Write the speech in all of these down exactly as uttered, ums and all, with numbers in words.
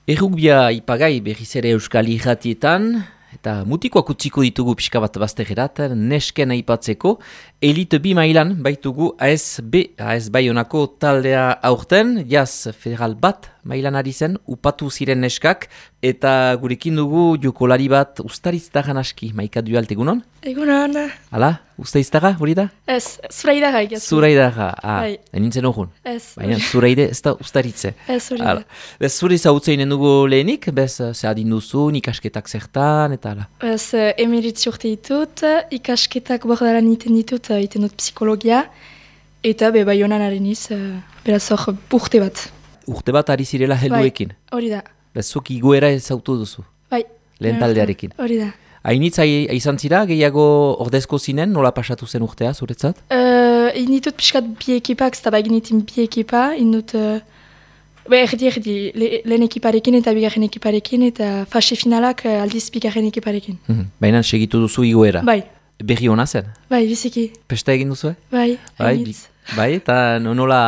Errugbia ipagai berriz ere Euskal Irratietan, eta mutikoak utziko ditugu pixka bat baztegerat, nesken aipatzeko, elite bi mailan baitugu A S B, A S Baionako taldea aurten, jaz federal bat mailan ari zen, upatu ziren neskak, eta gurekin dugu jokolari bat ustariztagan aski, Maika Dualt egunon? Egunon. Hala, ustariztaga, hori da? Ez, zuraidaga egizu. Zuraidaga, ah, Bai. enintzen horren. Ez. Baina zuraide ez da ustaritze. Ez, hori da. Bez, zure zautzen dugu lehenik, bez, ze adin duzu, ikasketak zertan, eta ala. Ez, emeritzi urte ditut, ikasketak bordalan iten ditut, iten dut psikologia, eta be Baionan areniz, beraz hor urte bat. Urte bat ari zirela helduekin. Bai, hori da. Bez, zuk igoera ezautu duzu, Bai. lehen taldearekin. Hori da. Hainitza izan zira, gehiago ordezko zinen, nola pasatu zen urtea, zuretzat? Uh, inditut pixkat bi ekipak, zeta baginitin bi ekipa, indut, uh, be erdi erdi, le, lehen ekiparekin eta bigarren ekiparekin, eta fase finalak uh, aldiz bigarren ekiparekin. Mhm. Baina segitu duzu igoera. Bai, Berri hona zen? bai, biziki. Pesta egin duzu, eh? Bai, Bai, hainitz. bi- bai, eta nola,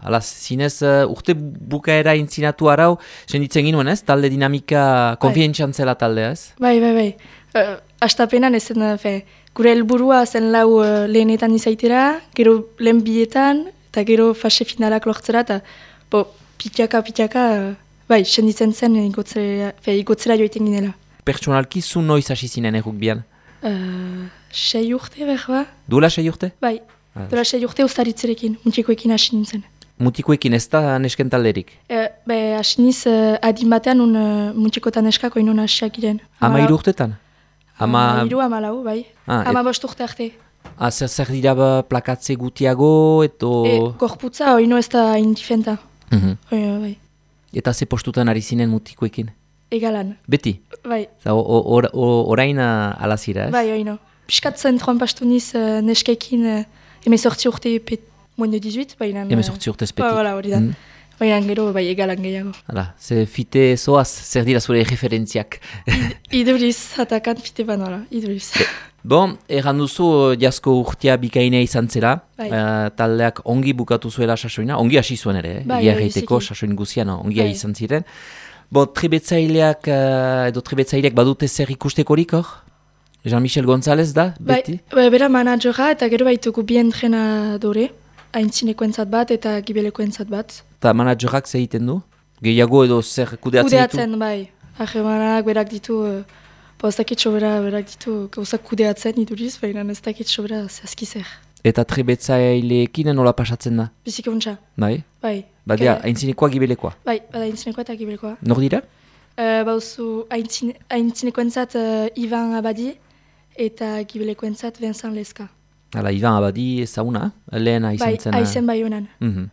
ala, zinez, uh, urte bukaera intzinatu arau, senditzen ginuen, ez? Talde dinamika, konfientxan zela taldea, ez? Bai, bai, bai. Uh, Astapenan ez zen, uh, fe, gure helburua zen lau uh, lehenetan izaitera, gero lehen bietan, eta gero fase finalak lortzera, eta bo, pitaka, pitaka, uh, bai, senditzen zen igotzera, fe, igotzera joiten ginela. Pertsonalki zu noiz hasi zinen errukbian? Uh, sei urte, behar ba? Duela sei urte? Bai, Ah. dola sei urte ustaritzerekin, mutikoekin hasi nintzen. Mutikoekin ez da nesken talderik? Uh, be, hasi niz, uh, adin batean un uh, mutikotan eskako inon hasiak giren. Ama hiru urtetan? Ama... Ama hiru, ama lau, bai. Ah, Ama et- bost urte arte. Ah, zer, zer dira ba, plakatze gutiago, eto... E, gorputza, oino ez da indifenta. Mhm. Oino, bai. Eta ze postutan ari zinen mutikoekin? Egalan, Beti? bai, Za, o, o, or, o, orain uh, alazira, ez? bai, oino. Piskat zentroan pastu niz uh, neskekin uh, emezortzi urte pet, moins de dix-huit, baina... Uh, Hemezortzi urtez beti. Ba, voilà, hori da. Mhm. Baina gero, bai, egalan gehiago. Hala, ze fite zoaz, zer dira zure referentziak. Iduriz, atakan fite banola, iduriz. Bon, erran duzu uh, jasko urtea bikainea izan zela, Bai. uh, taldeak ongi bukatu zuela sasoina, ongi hasi zuen ere, eh? Bai, Egia bai, erraiteko biziki. sasoin guzian ongia Bai. izan ziren. Bo, trebetzaileak, uh, edo trebetzaileak badute zer ikustekorik hor? Jean-Michel González da, Bai, beti? bai, bera manajora eta gero baitugu bi entrenadore, aintzinekoentzat bat eta gibelekoentzat bat. Eta managerak ze egiten du? Gehiago edo zer kudeatzen ditu? Kudeatzen, bai. Ahemanak berak ditu, uh, bo ez dakit sobera berak ditu, gauzak kudeatzen iduriz, baina ez dakit sobera zehazki zer. Eta trebetzaileekin nola pasatzen da? Biziki untxa, Bai? bai. Badia, Ke- aintzinekoa gibelekoa. Bai, bada aintzinekoa eta gibelekoa. Nor dira? Uh, bauzu aintzine, aintzinekoentzat uh, Ivan Abadi eta gibelekoentzat Vincent Leska. Hala, Ivan Abadi ezaguna, lehena izan Bai, zen. aizen bai honan. Mhm.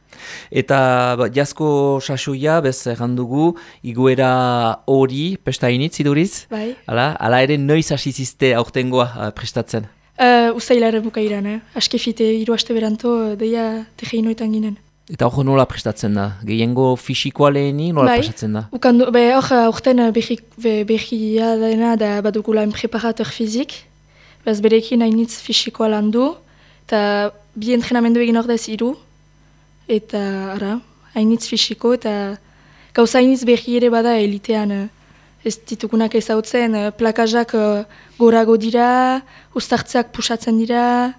Eta ba, jasko sasoia, bez errandugu, iguera hori, pesta initz iduriz? Bai. Hala, hala ere noiz hasi ziste aurtengoa uh, prestatzen. Uh, Uztailaren bukairan, eh? Askefite hiru aste beranto, uh, deia tegeinoetan ginen. Eta hor nola prestatzen da? Gehiengo fisikoa leheni nola Bai. pasatzen da? Ukandu, be, hor, aurten uh, behi, be, behia dena da badugula un preparateur fizik. Bez berekin hainitz fisikoa landu. Eta bi entrenamendu egin ordez hiru. Eta, ara, hainitz fisiko eta gauza hainitz behi ere bada elitean. Uh, ez ditugunak ezautzen, uh, plakajak uh, gorago dira, ustartzeak pusatzen dira.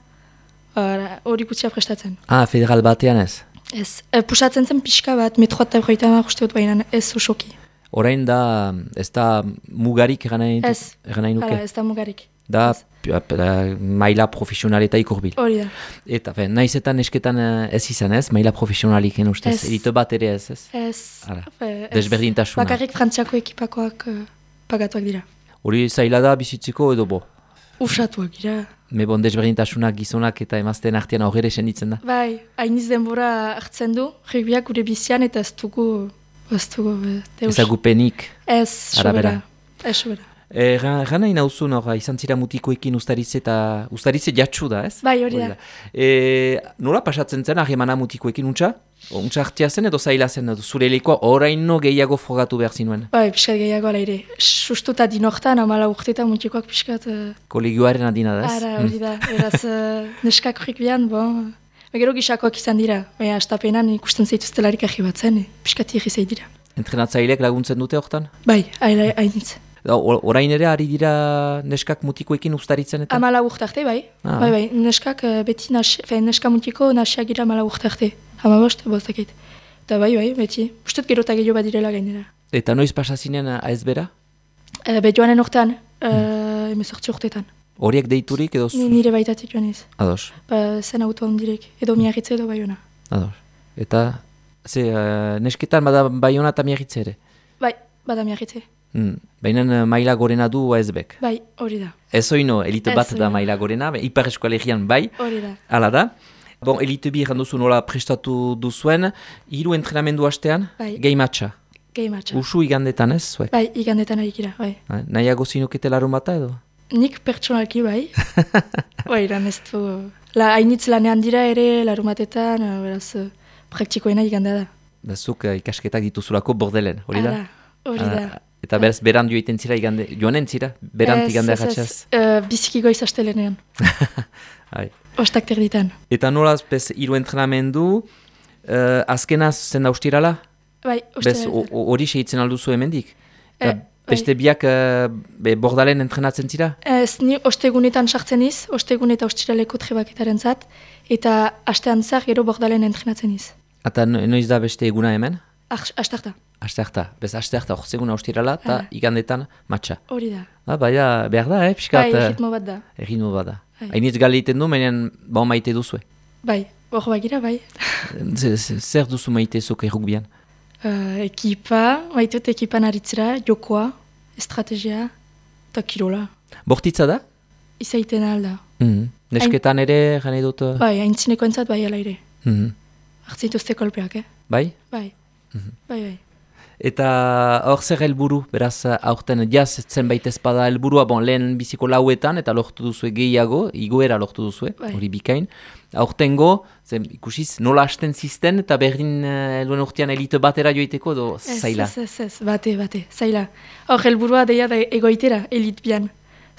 Ara, hori gutxia prestatzen. Ah, federal batean ez? Ez, uh, pusatzen zen pixka bat, metro eta berroita hamar uste dut baina ez osoki. Orain da, ez da mugarik eran nahi dut- Ez. eran nahi nuke? Hala, ez da mugarik. Da, Ez. pi- ap- da, maila profesionaletaik urbil. Hori da. Eta, fe, naiz eta nesketan eh, ez izan ez, maila profesionaliken ustez, Ez. elite bat ere ez ez. Ez. Hala. Fe, ez. Desberdintasuna. Bakarrik frantziako ekipakoak uh, pagatuak dira. Hori zaila da bizitziko edo bo. Usatuak dira. Me bon desberdintasunak gizonak eta emazten artean aurrera senditzen da. Bai, hainiz denbora hartzen du, rugbiak gure bizian eta ez dugu, ez dugu, eh, deus. Ezagupenik. Ez, Arabera. sobera. Ez, sobera. Erran e, nahi nauzun hor, izan zira mutikoekin ustaritze eta ustaritze jatsu da, ez? Bai, hori da. E, nola pasatzen zen harremana mutikoekin untxa? Untxa hartia zen edo zaila zen edo zure elekoa oraino gehiago frogatu behar zinuen? Bai, pixkat gehiago ala ere. Sustu eta dinortan, amala urtetan mutikoak pixkat... Uh, Kolegioaren adina da, ez? Ara, hori da. Beraz, uh, neskak rugbian, bon... Gero gisakoak izan dira. Baina, astapenan ikusten zaituztelarik ahi batzen, eh? Piskat irri dira. Entrenatzaileek laguntzen dute hortan? Bai, hainitz. Orain ere ari dira neskak mutikoekin ustaritzen eta? Amala urtarte, bai. Ah. Bai, bai, neskak beti nasi, fe, neska mutiko nasiak gira amala urtarte. Hama bost, bostakit. Eta bai, bai, beti. Ustet gero eta gehiago badirela gainera. Eta noiz pasazinen A S B-ra? E, be joanen urtean, hmm. emezortzi urteetan. Horiek deiturik edo? Ni, nire baitatik joan ez. Ados. Ba, zen auto ondirek, edo miarritze edo bai hona. Ados. Eta, ze, uh, nesketan bada bai hona eta miarritze ere? Bai, bada miarritze. Hmm. Baina maila gorena du A S B-ek? Bai, hori da. Ez oino, elite bat da maila gorena, Ipar Eskoalegian bai, hori da. Hala da. Bon, elite bi erran duzu nola prestatu duzuen, hiru entrenamendu hastean, bai. Gehi matxa. Gehi matxa. Usu igandetan ez, zuek? Bai, igandetan arikira, bai. Nahiago zinukete larun bata edo? Nik pertsonalki bai. Bai, lan ez du. La, hainitz lanean dira ere, larun batetan, beraz, praktikoena igandea da. Da zuk uh, ikasketak dituzulako bordelen, hori da? Hala, hori da. Ah, eta beraz, beran joiten zira igande, joanen zira, berant igandea gatxaz? Ez, ez, biziki goiz astelenean. Ostak terditan. Eta nolaz, bez, hiru entrenamendu, uh, azkenaz zen da ustirala? Bai, ustirala. Bez, hori sehitzen alduzu hemendik? E, beste biak uh, be, bordalen entrenatzen zira? Ez, ni ostegunetan sartzen iz, ostegun eta ostiraleko trebaketaren zat, eta astean zar gero bordalen entrenatzen iz. Eta noiz da beste eguna hemen? Astarta. Astarta. Bez, astarta, orzeguna ustirala, eta igandetan matxa. Hori da. Ah, baina, behar da, eh, piskat? Bai, erritmo bat da. Erritmo bat da. Hainitz gale egiten du, menean, ba maite duzue? Bai, hor bagira, bai. Zer duzu maite zuk errukbian? Uh, ekipa, maitut ekipan aritzera, jokoa, estrategia, eta kirola. Bortitza da? Izaiten alda. Mm -hmm. Nesketan ere, gane dut? Bai, haintzineko entzat bai ala ere. Mm -hmm. Artzituzte kolpeak, eh? Bai? Bai, mm -hmm. bai, bai. Eta hor zer helburu, beraz, aurten jaz zenbait ezpada helburua, bon, lehen biziko lauetan, eta lortu duzue gehiago, igoera lortu duzue, hori bai. Bikain. Aurtengo, zen ikusiz, nola hasten zisten, eta berdin heluen uh, urtean elite batera joiteko, edo zaila? Ez, ez, ez, bate, bate, zaila. Hor helburua deia da egoitera, elit bian.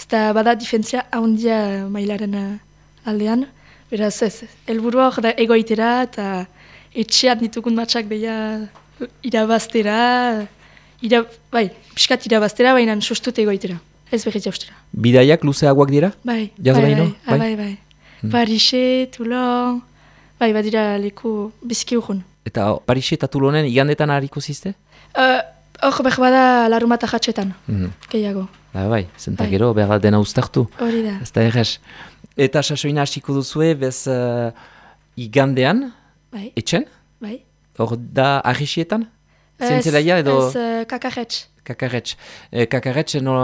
Zeta bada difentzia ahondia mailaren uh, aldean, beraz ez, helburua hor da egoitera, eta etxean ditugun matxak deia irabaztera, ira, bai, piskat irabaztera, baina sustut egoitera, ez berriz jaustera. Bidaiak luzeagoak dira? Bai, bai, bai, bai, bai, bai, bai. Hmm. Parise, Toulon, bai, badira leku biziki urrun. Eta Parise eta Toulonen igandetan hariko zizte? Hor uh, behar bada larumata jatxetan, mm. gehiago. Ba, bai, zenta bai. Gero behar dena uztartu. Hori da. Ez da errez. Eta sasoina hasiko duzue, bez uh, igandean, bai. Etxen? Bai. Hor da arrisietan? Zentzelaia edo? Ez, uh, kakarretx. Kakarretx. E, kakarretx no,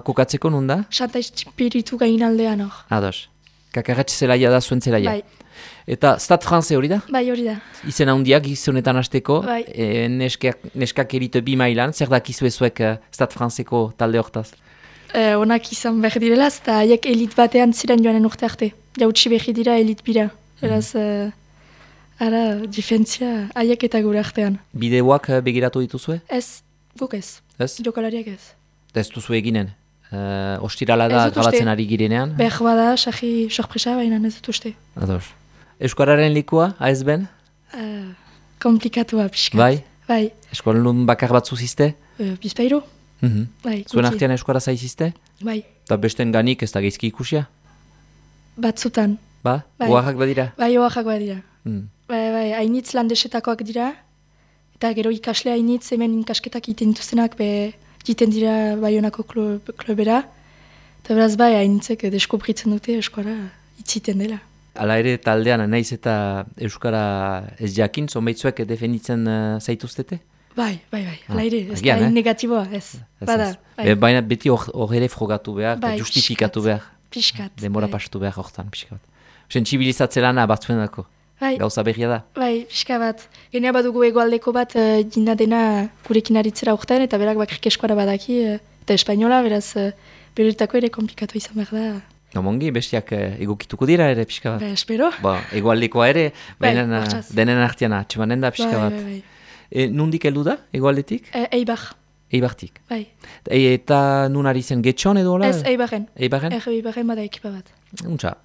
kokatzeko nun da? Xanta espiritu gain aldean hor. Ados. Kakarretx zelaia da zuen zelaia. Bai. Eta Stade France hori da? Bai, hori da. Izen handiak gizonetan hasteko, bai. e, neskak, neskak elite bi mailan, zer dakizu ezuek uh, Stade Franceko talde hortaz? E, onak izan behar direlaz, eta haiek elit batean ziren joanen urte arte. Jautsi behar dira elit bira. Beraz, mm. uh, ara, difentzia haiek eta gure artean. Bideoak uh, begiratu dituzue? Ez, guk ez. Ez? Jokalariak ez. Ez duzu eginen? Uh, ostirala da grabatzen ari girenean? Behar bada, sahi sorpresa, baina ez dut uste. Ados. Euskararen likua, A S B-en? Uh, komplikatua, pixkat. Bai? Bai. Eskolun bakar bat zuzizte? Uh, Bizpairu. Mm -hmm. Bai, zuen artean euskara zaizizte? Bai. Eta besten ganik ez da geizki ikusia? Batzutan. Ba? Bai. Oaxak badira? Bai, oaxak badira. Mm. Bai, bai, hainitz landesetakoak dira. Eta gero ikasle hainitz hemen ikasketak iten dituztenak, be, jiten dira Baionako klubera. Eta beraz bai, hainitzek deskubritzen dute euskara itziten dela. Hala ere taldean naiz eta euskara ez jakin, zonbaitzuek defenditzen uh, zaituztete? Bai, bai, bai, hala ah, ere, ez agian, da eh? negatiboa, ez. ez Bada, bai. E, baina beti hor ere frogatu behar, bai, justifikatu behar. Piskat. Denbora bai. pastu behar hortan, piskat. Sentsibilizatze lana batzuen dako. Bai. Gauza berria da. Bai, pixka bat. Genea badugu egoaldeko bat uh, jina dena gurekin aritzera urtean, eta berak bakrik eskuara badaki, uh, eta espainola, beraz, uh, berirtako ere komplikatu izan behar da. Nomongi, bestiak uh, egokituko dira ere, pixka bat. Ba, espero. Ba, egoaldekoa ere, baina bai, denen artean atxemanen da, pixka bai, bat. Bai, bai. E, nundik heldu da, egoaldetik? E, Eibar. Eibartik. Bai. E, eta nun ari zen getxon edo hola? Ez, Eibarren. Eibarren? Ego Eibarren bada ekipa bat. Untxa.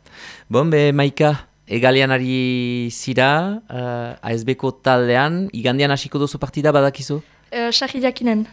Bon, be, Maika, egalean ari zira, uh, A S B-ko taldean, igandean hasiko duzu partida badakizu? uh, sarri jakinen.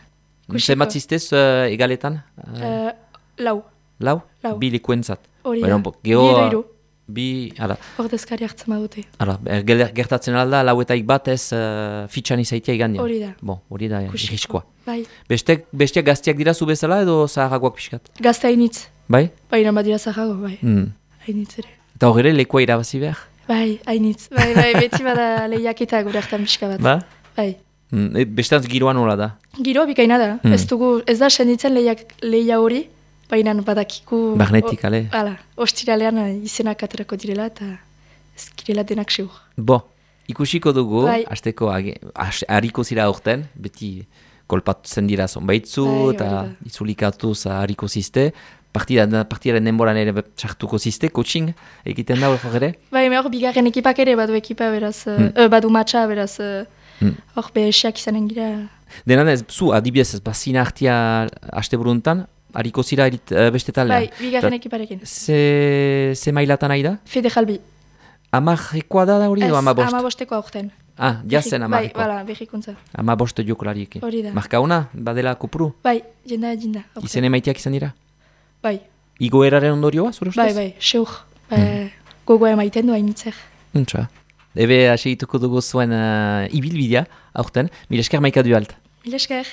Zenbat ziztez uh, egaletan? Uh, Uh, lau. lau? Lau. Bi lekuentzat. Hori Bueno, da. bo- geho, Bi edo hiru. Bi, ala, Ordezkari hartzen badute. ala, er- gel- gertatzen alda, lauetaik bat ez uh, fitxan izaitia igandian. Hori da. Bon, hori da, Ikusiko. irriskoa. Bai. Beste, besteak gaztiak dira zu bezala edo zaharagoak pixkat? Gazte hainitz. Bai? Baina badira zahago, bai. Mm. Hainitz ere. Eta hor ere, lekua irabazi behar? Bai, hainitz. Bai, bai, beti bada lehiaketa gure hartan pixka bat. Ba? Bai. Mm. E, bestantz giroan hola da. Giro bikaina da. Hmm. Ez dugu, ez da senditzen lehiak, lehia hori, baina badakiku... Magnetik, ale? Hala, ostiralean eh, izenak aterako direla eta ez girela denak seur. Bo, ikusiko dugu, Bai. hasteko age- has- hariko zira aurten, beti kolpatzen dira zonbaitzu, Bai, hori eta da. itzulikatuz hariko ziste, partida, partidaren denboran ere sartuko ziste, coaching egiten da hor ere? Bai, me hor bigarren ekipak ere badu ekipa beraz, eh, Hmm. eh, badu matxa beraz, eh, Hmm. hor behesiak izanen gira. Denan ez, zu adibidez ez bazina hartia haste buruntan, hariko zira erit, uh, beste taldean. Bai, bigarren Ta- ekiparekin. Ze, ze mailatan nahi da? Fede jalbi. Amarrekoa da da hori edo ama bost? amabosteko aurten. Ah, jazen Bai, amarrekoa. bala, berrikuntza. Ama bost jokolariekin. Hori da. Marka ona, badela kopuru? Bai, jenda jinda. aurten. Izen emaiteak izan dira? Bai, Igoeraren ondorioa, zure ustez? bai, bai, seur. Bai, gogoa emaiten du hainitzer. Untsa. Ebe, asegituko dugu zuen uh, ibilbidea, aurten. Mil esker maika du alt. Mil esker.